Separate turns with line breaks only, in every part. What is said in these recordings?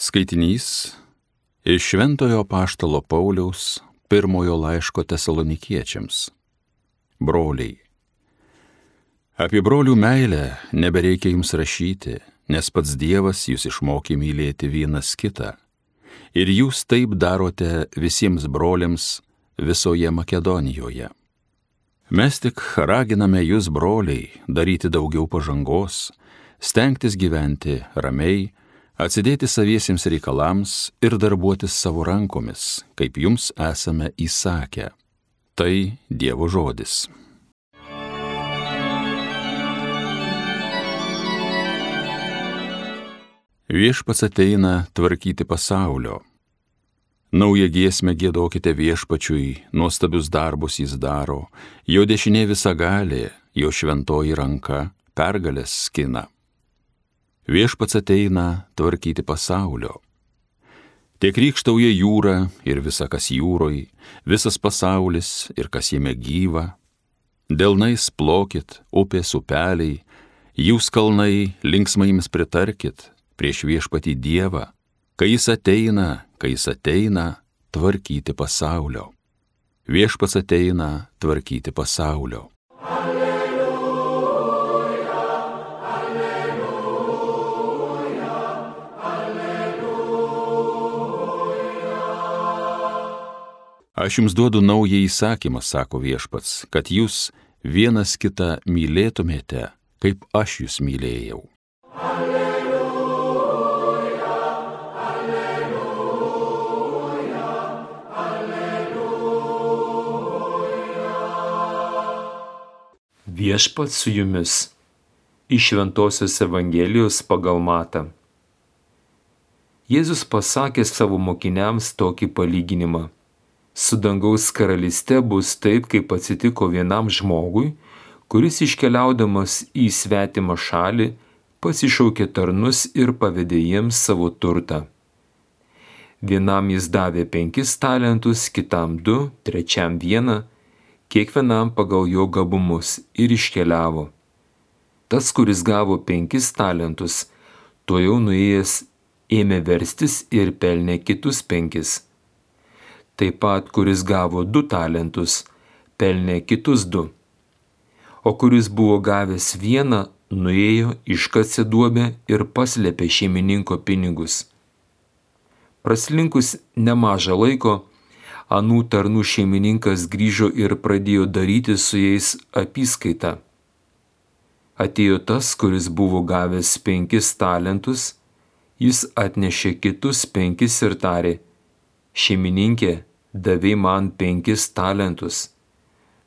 Skaitinys iš Šventojo Apaštalo Pauliaus pirmojo laiško Tesalonikiečiams. Broliai. Apie brolių meilę nebereikia jums rašyti, nes pats Dievas jūs išmokė mylėti vienas kitą. Ir jūs taip darote visiems broliams visoje Makedonijoje. Mes tik raginame jūs, broliai, daryti daugiau pažangos, stengtis gyventi ramiai, atsidėti saviesiems reikalams ir darbuotis savo rankomis, kaip jums esame įsakę. Tai Dievo žodis. Viešpats ateina tvarkyti pasaulio. Naują giesmę giedokite Viešpačiui, nuostabius darbus jis daro, jo dešinė visagalė, jo šventoji ranka pergalės skina. Viešpats ateina tvarkyti pasaulio. Tiek rykštauja jūra ir visa, kas jūroj, visas pasaulis ir kas jame gyva. Delnais plokit, upės upeliai, jūs kalnai linksmai jums pritarkit prieš Viešpatį Dievą, kai jis ateina tvarkyti pasaulio. Viešpats ateina tvarkyti pasaulio. Aš jums duodu naują įsakymą, sako Viešpats, kad jūs vienas kitą mylėtumėte, kaip aš jūs mylėjau.
Alleluja, alleluja, alleluja.
Viešpats su jumis. Iš Šventosios Evangelijos pagal Matą. Jėzus pasakė savo mokiniams tokį palyginimą. Su dangaus karalyste bus taip, kaip atsitiko vienam žmogui, kuris iškeliaudamas į svetimą šalį pasišaukė tarnus ir pavedė jiems savo turtą. Vienam jis davė 5 talentus, kitam 2, trečiam 1, kiekvienam pagal jo gabumus ir iškeliavo. Tas, kuris gavo 5 talentus, tuojau nuėjęs ėmė verstis ir pelnė kitus 5. Taip pat, kuris gavo 2 talentus, pelnė kitus 2. O kuris buvo gavęs 1, nuėjo, iškasė duobę ir paslėpė šeimininko pinigus. Praslinkus nemažą laiko, anų tarnų šeimininkas grįžo ir pradėjo daryti su jais apyskaitą. Atėjo tas, kuris buvo gavęs 5 talentus, jis atnešė kitus 5 ir tarė: šeimininkė, davei man 5 talentus,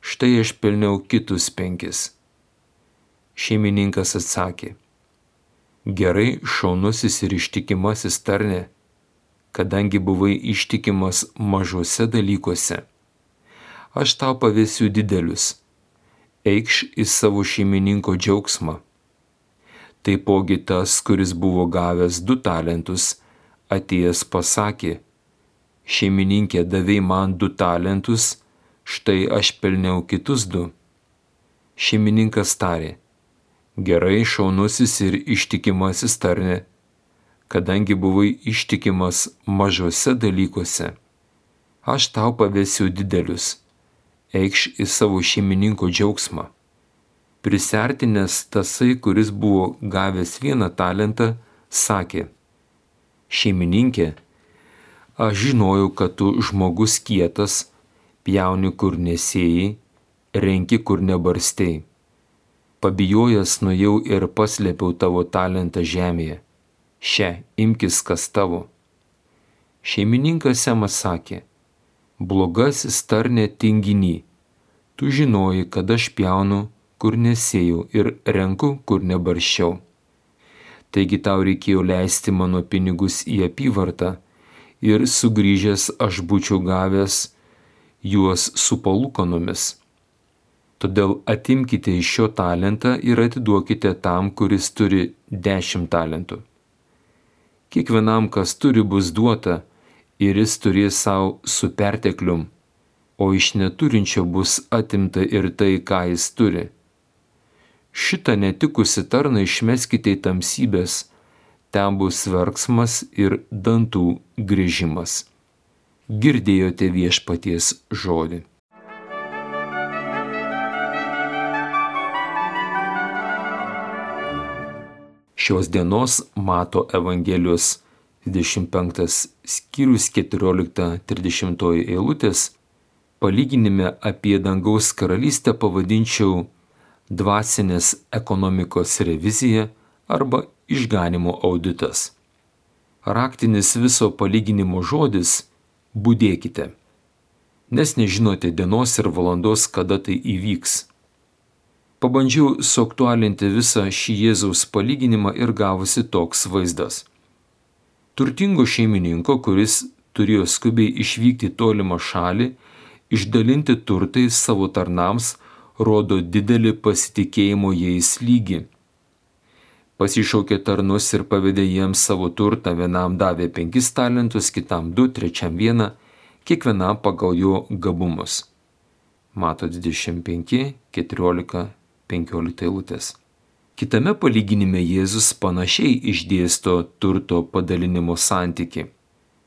štai aš pelniau kitus 5. Šeimininkas atsakė: gerai, šaunusis ir ištikimasis tarne, kadangi buvai ištikimas mažuose dalykuose, aš tau pavesiu didelius, eikš į savo šeimininko džiaugsmą. Taipogi tas, kuris buvo gavęs 2 talentus, atėjęs pasakė: šeimininkė, davei man 2 talentus, štai aš pelniau kitus 2. Šeimininkas tarė: gerai, šaunusis ir ištikimasis tarne, kadangi buvai ištikimas mažuose dalykuose, aš tau pavesiu didelius, eikš į savo šeimininko džiaugsmą. Prisiartinęs tasai, kuris buvo gavęs 1 talentą, sakė: šeimininkė, aš žinojau, kad tu žmogus kietas, pjauni kur nesėjai, renki kur nebarstei. Pabijojęs nuėjau ir paslėpiau tavo talentą žemėje. Še, imkis, kas tavo. Šeimininkas jam atsakė: blogasis tarne tinginy, tu žinojai, kad aš pjaunu kur nesėjau ir renku kur nebarščiau. Taigi tau reikėjo leisti mano pinigus į apyvartą, ir sugrįžęs aš būčiau gavęs juos su palūkanomis. Todėl atimkite iš šio talentą ir atiduokite tam, kuris turi 10 talentų. Kiekvienam, kas turi, bus duota, ir jis turės savo su perteklium, o iš neturinčio bus atimta ir tai, ką jis turi. Šitą netikusi tarną išmeskite į tamsybės, ten bus verksmas ir dantų grįžimas. Girdėjote viešpaties žodį. Šios dienos Mato Evangelijos 25 skyrius 14-30 eilutės palyginime apie dangaus karalystę pavadinčiau dvasinės ekonomikos revizija arba išganimo auditas. Raktinis viso palyginimo žodis – budėkite, nes nežinote dienos ir valandos, kada tai įvyks. Pabandžiau suaktualinti visą šį Jėzaus palyginimą ir gavosi toks vaizdas. Turtingo šeimininko, kuris turėjo skubiai išvykti į tolimą šalį, išdalinti turtai savo tarnams, rodo didelį pasitikėjimo jais lygį. Pasišaukė tarnus ir pavedė jiems savo turtą, vienam davė 5 talentus, kitam 2, trečiam 1, kiekvienam pagal jo gabumus. Mato 25, 14, 15 eilutės. Kitame palyginime Jėzus panašiai išdėsto turto padalinimo santykį.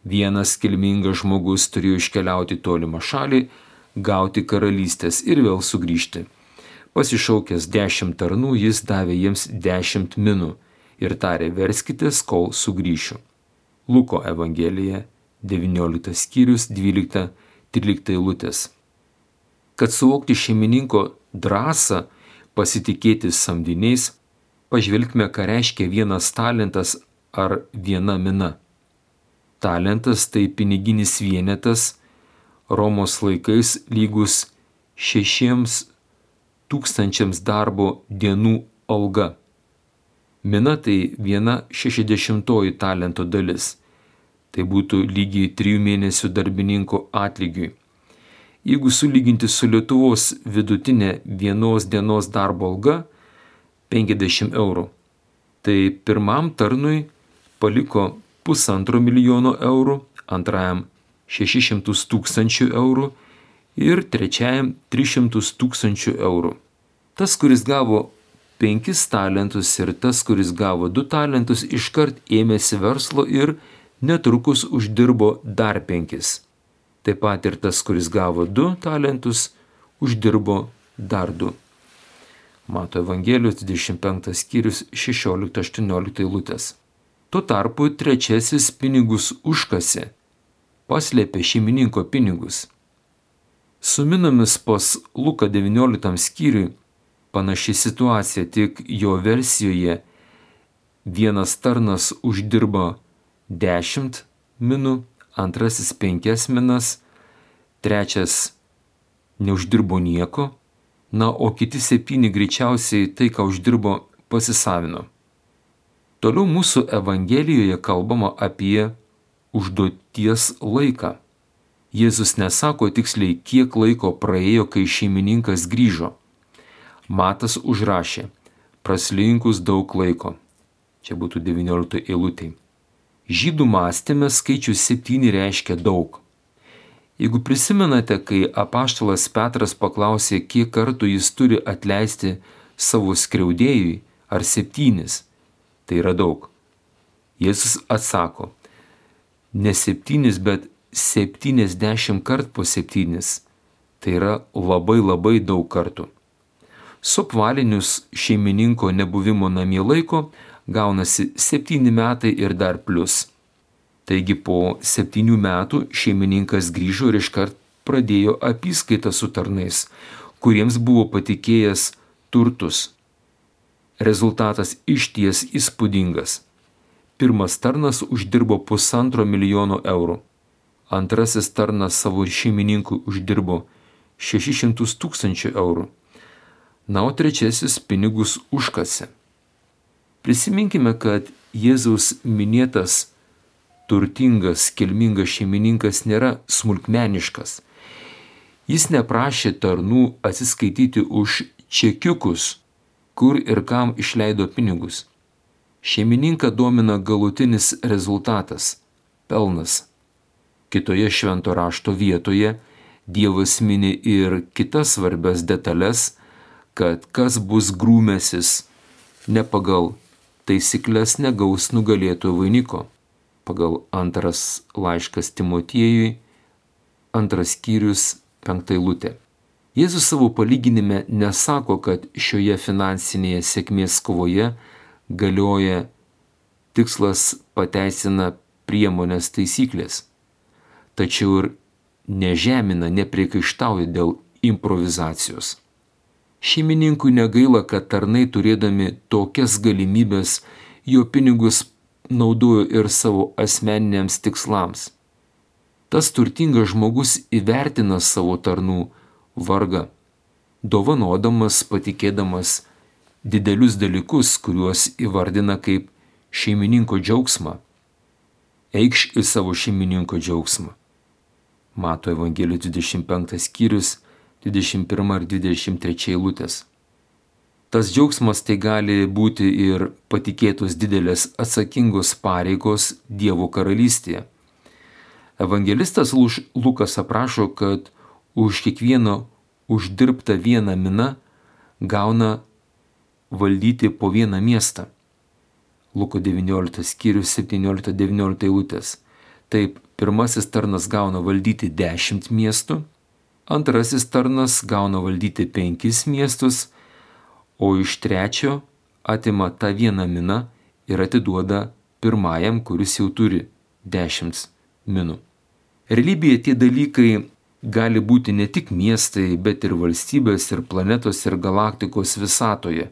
Vienas kilmingas žmogus turėjo iškeliauti tolimą šalį, gauti karalystės ir vėl sugrįžti. Pasišaukęs 10 tarnų, jis davė jiems 10 minų ir tarė: verskitės, kol sugrįšiu. Luko Evangelija 19 skyrius 12-13 eilutės. Kad suvokti šeimininko drąsą pasitikėti samdiniais, pažvelgime, ką reiškia 1 talentas ar 1 mina. Talentas tai piniginis vienetas, Romos laikais lygus 6,000 darbo dienų alga. Mina tai 1/60 talento dalis. Tai būtų lygiai 3 mėnesių darbininko atlygiui. Jeigu sulyginti su Lietuvos vidutinė 1 dienos darbo alga 50 eurų, tai pirmam tarnui paliko 1,5 milijono eurų, antrajam 600 000 eurų ir trečiajam 300 000 eurų. Tas, kuris gavo 5 talentus ir tas, kuris gavo 2 talentus, iškart ėmėsi verslo ir netrukus uždirbo dar 5. Taip pat ir tas, kuris gavo 2 talentus, uždirbo dar 2. Mato Evangelijos 25 skyrius 16-18 eilutės. Tuo tarpu trečiasis pinigus užkasė, paslėpė šeimininko pinigus. Su minomis pas Luką 19 skyriui panaši situacija, tik jo versijoje vienas tarnas uždirba 10 minų, antrasis 5 minas, trečias neuždirbo nieko, o kiti 7 greičiausiai tai, ką uždirbo, pasisavino. Toliau mūsų Evangelijoje kalbama apie užduoties laiką. Jėzus nesako tiksliai, kiek laiko praėjo, kai šeimininkas grįžo. Matas užrašė: praslinkus daug laiko. Čia būtų 19 eilutė. Žydų mąstyme skaičius 7 reiškia daug. Jeigu prisimenate, kai apaštalas Petras paklausė, kiek kartų jis turi atleisti savo skriaudėjui, ar 7, tai yra daug. Jėzus atsako: ne 7, bet 70 kart po 7. Tai yra labai daug kartų. Suapvalinus šeimininko nebuvimo namie laiko gaunasi 7 metai ir dar plius. Taigi po 7 metų šeimininkas grįžo ir iškart pradėjo apyskaitą su tarnais, kuriems buvo patikėjęs turtus. Rezultatas išties įspūdingas. Pirmas tarnas uždirbo 1,5 milijono eurų. Antrasis tarnas savo šeimininkui uždirbo 600 000 eurų. O trečiasis pinigus užkasė. Prisiminkime, kad Jėzaus minėtas turtingas, kilmingas šeimininkas nėra smulkmeniškas. Jis neprašė tarnų atsiskaityti už čekiukus, kur ir kam išleido pinigus. Šeimininką domina galutinis rezultatas – pelnas. Kitoje švento rašto vietoje Dievas mini ir kitas svarbias detalės, kad kas bus grūmęsis ne pagal taisyklės negaus nugalėtojo vainiko. Pagal antras laiškas Timotiejui, 2 skyrius, 5 eilutė. Jėzus savo palyginime nesako, kad šioje finansinėje sėkmės kovoje galioja tikslas pateisina priemonės taisyklės, tačiau ir nežemina, nepriekaištauja dėl improvizacijos. Šeimininkui negaila, kad tarnai turėdami tokias galimybės jo pinigus naudojo ir savo asmeniniams tikslams. Tas turtingas žmogus įvertina savo tarnų vargą, dovanodamas, patikėdamas didelius dalykus, kuriuos įvardina kaip šeimininko džiaugsmą. Eikš į savo šeimininko džiaugsmą. Mato Evangelijos 25 skyrius, 21 ir 23 eilutės. Tas džiaugsmas tai gali būti ir patikėtos didelės atsakingos pareigos Dievo karalystėje. Evangelistas Lukas aprašo, kad už kiekvieną uždirbtą vieną miną gauna valdyti po vieną miestą. Luko 19 skyrius 17-19 eilutės. Taip, pirmasis tarnas gauna valdyti 10 miestų, antrasis tarnas gauna valdyti 5 miestus, o iš trečio atima tą vieną miną ir atiduoda pirmajam, kuris jau turi 10 minų. Realybėje tie dalykai gali būti ne tik miestai, bet ir valstybės, ir planetos, ir galaktikos visatoje.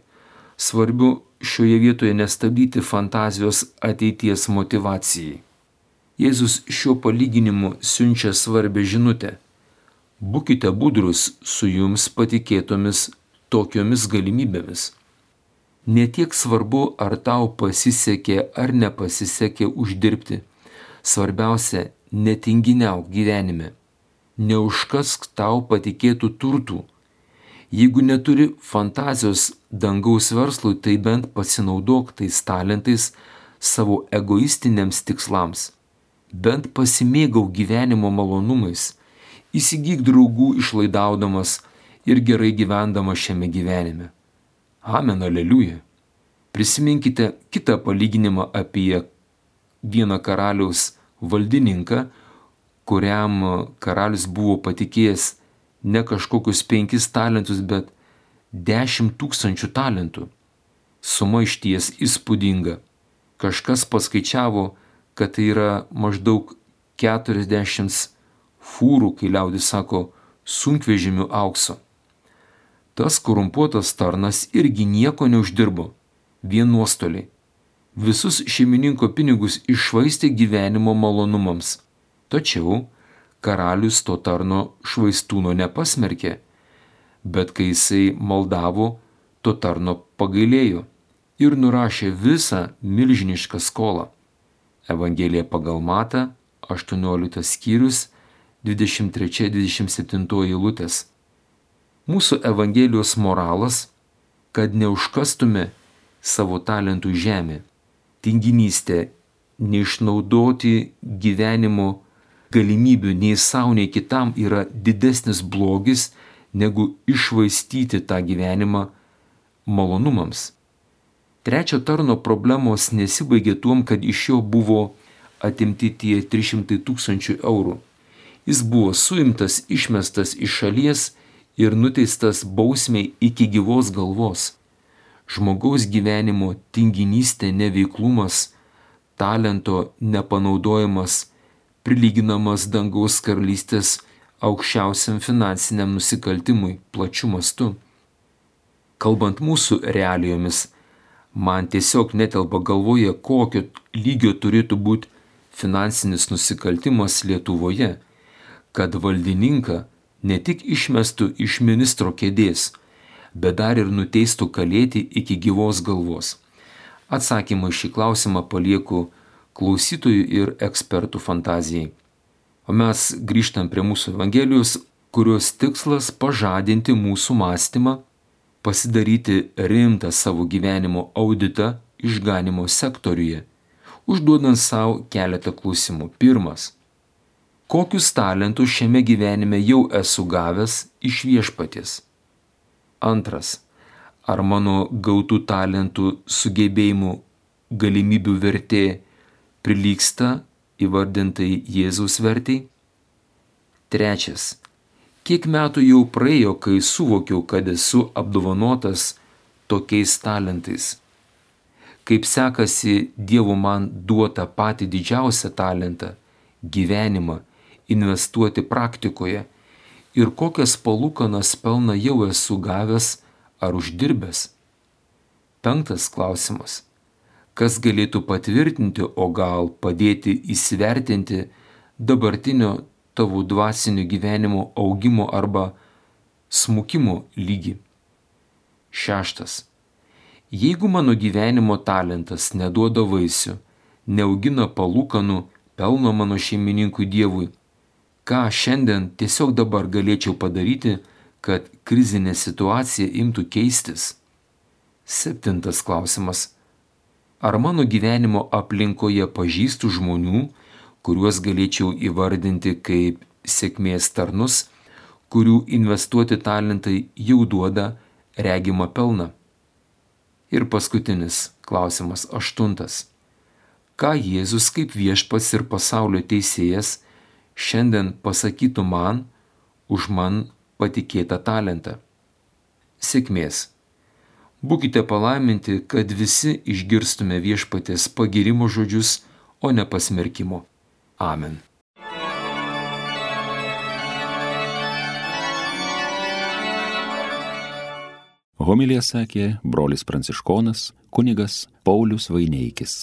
Svarbu šioje vietoje nestabdyti fantazijos ateities motyvacijai. Jėzus šiuo palyginimu siunčia svarbę žinutę. Būkite budrus su jums patikėtomis tokiomis galimybėmis. Ne tiek svarbu, ar tau pasisekė ar nepasisekė uždirbti. Svarbiausia, netinginiauk gyvenime. Neužkask tau patikėtų turtų. Jeigu neturi fantazijos dangaus verslui, tai bent pasinaudok tais talentais savo egoistiniams tikslams. Bent pasimėgau gyvenimo malonumais, įsigyk draugų išlaidaudamas ir gerai gyvendamas šiame gyvenime. Amen, aleliuja. Prisiminkite kitą palyginimą apie vieną karaliaus valdininką, kuriam karalius buvo patikėjęs ne kažkokius 5 talentus, bet 10 000 talentų. Suma išties įspūdinga. Kažkas paskaičiavo, kad tai yra maždaug 40 fūrų, kai liaudis sako, sunkvežimių aukso. Tas korumpuotas tarnas irgi nieko neuždirbo, vien nuostoliai. Visus šeimininko pinigus iššvaistė gyvenimo malonumams. Tačiau karalius to tarno švaistūno nepasmerkė, bet kai jisai maldavo, to tarno pagailėjo ir nurašė visą milžinišką skolą. Evangelija pagal Matą, 18 skyrius, 23-27 eilutės. Mūsų Evangelijos moralas, kad neužkastume savo talentų žemė. Tinginystė, neišnaudoti gyvenimo galimybių nei savo, nei kitam yra didesnis blogis, negu iššvaistyti tą gyvenimą malonumams. Trečio tarno problemos nesibaigė tuom, kad iš jo buvo atimti tie 300 000 eurų. Jis buvo suimtas, išmestas iš šalies ir nuteistas bausmei iki gyvos galvos. Žmogaus gyvenimo tinginystė, neveiklumas, talento nepanaudojimas prilyginamas dangaus karalystės aukščiausiam finansiniam nusikaltimui plačiu mastu. Kalbant mūsų realijomis, man tiesiog netelpa galvoje, kokio lygio turėtų būti finansinis nusikaltimas Lietuvoje, kad valdininką ne tik išmestų iš ministro kėdės, bet dar ir nuteistų kalėti iki gyvos galvos. Atsakymą šį klausimą palieku klausytojų ir ekspertų fantazijai. O mes grįžtam prie mūsų Evangelijos, kurios tikslas pažadinti mūsų mąstymą, pasidaryti rimtą savo gyvenimo auditą išganimo sektoriuje, užduodant savo keletą klausimų. Pirmas. Kokius talentus šiame gyvenime jau esu gavęs iš Viešpaties? Antras. Ar mano gautų talentų sugebėjimų galimybių vertė prilygsta įvardintai Jėzaus vertei? Trečias. Kiek metų jau praėjo, kai suvokiau, kad esu apdovanotas tokiais talentais? Kaip sekasi Dievo man duotą patį didžiausią talentą – gyvenimą – investuoti praktikoje ir kokias palūkanas pelną jau esu gavęs ar uždirbęs? Penktas klausimas. Kas galėtų patvirtinti, o gal padėti įsivertinti dabartinio tavo dvasinio gyvenimo augimo arba smukimo lygį? Šeštas. Jeigu mano gyvenimo talentas neduoda vaisių, neaugina palūkanų, pelno mano šeimininkui Dievui, ką šiandien tiesiog dabar galėčiau padaryti, kad krizinė situacija imtų keistis? Septintas klausimas. Ar mano gyvenimo aplinkoje pažįstu žmonių, kuriuos galėčiau įvardinti kaip sėkmės tarnus, kurių investuoti talentai jau duoda regimą pelną? Ir paskutinis klausimas, aštuntas. Ką Jėzus kaip viešpats ir pasaulio teisėjas šiandien pasakytų man už man patikėtą talentą? Sėkmės. Būkite palaiminti, kad visi išgirstume viešpaties pagyrimo žodžius, o ne pasmerkimo. Amen.
Homiliją sakė brolis pranciškonas kunigas Paulius Vaineikis.